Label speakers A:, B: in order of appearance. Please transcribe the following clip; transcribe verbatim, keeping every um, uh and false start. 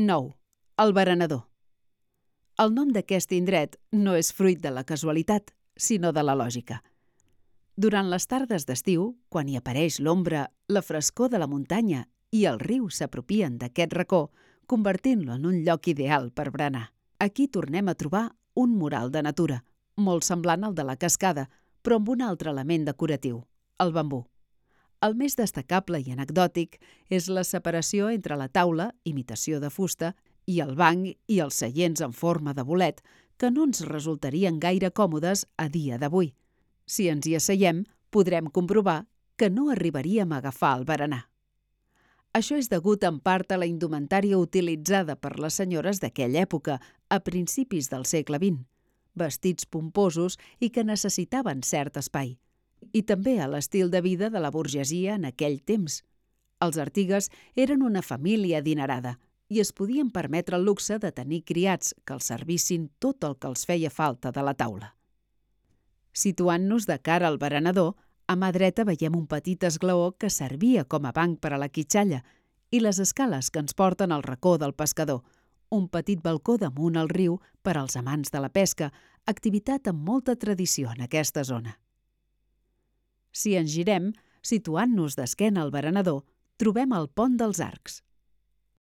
A: nou. El Berenador. El nom d'aquest indret no és fruit de la casualitat, sinó de la lògica. Durant les tardes d'estiu, quan hi apareix l'ombra, la frescor de la muntanya i el riu s'apropien d'aquest racó, convertint-lo en un lloc ideal per berenar. Aquí tornem a trobar un mural de natura, molt semblant al de la cascada, però amb un altre element decoratiu, el bambú. El més destacable i anecdòtic és la separació entre la taula, imitació de fusta, i el banc i els seients en forma de bolet, que no ens resultarien gaire còmodes a dia d'avui. Si ens hi asseiem, podrem comprovar que no arribaríem a agafar el berenar. Això és degut en part a la indumentària utilitzada per les senyores d'aquella època, a principis del segle vint, vestits pomposos i que necessitaven cert espai, i també a l'estil de vida de la burgesia en aquell temps. Els Artigues eren una família adinerada i es podien permetre el luxe de tenir criats que els servissin tot el que els feia falta de la taula. Situant-nos de cara al berenador, a mà dreta veiem un petit esglaó que servia com a banc per a la quitxalla i les escales que ens porten al racó del pescador, un petit balcó damunt el riu per als amants de la pesca, activitat amb molta tradició en aquesta zona. Si ens girem, situant-nos d'esquena al berenador, trobem el Pont dels Arcs,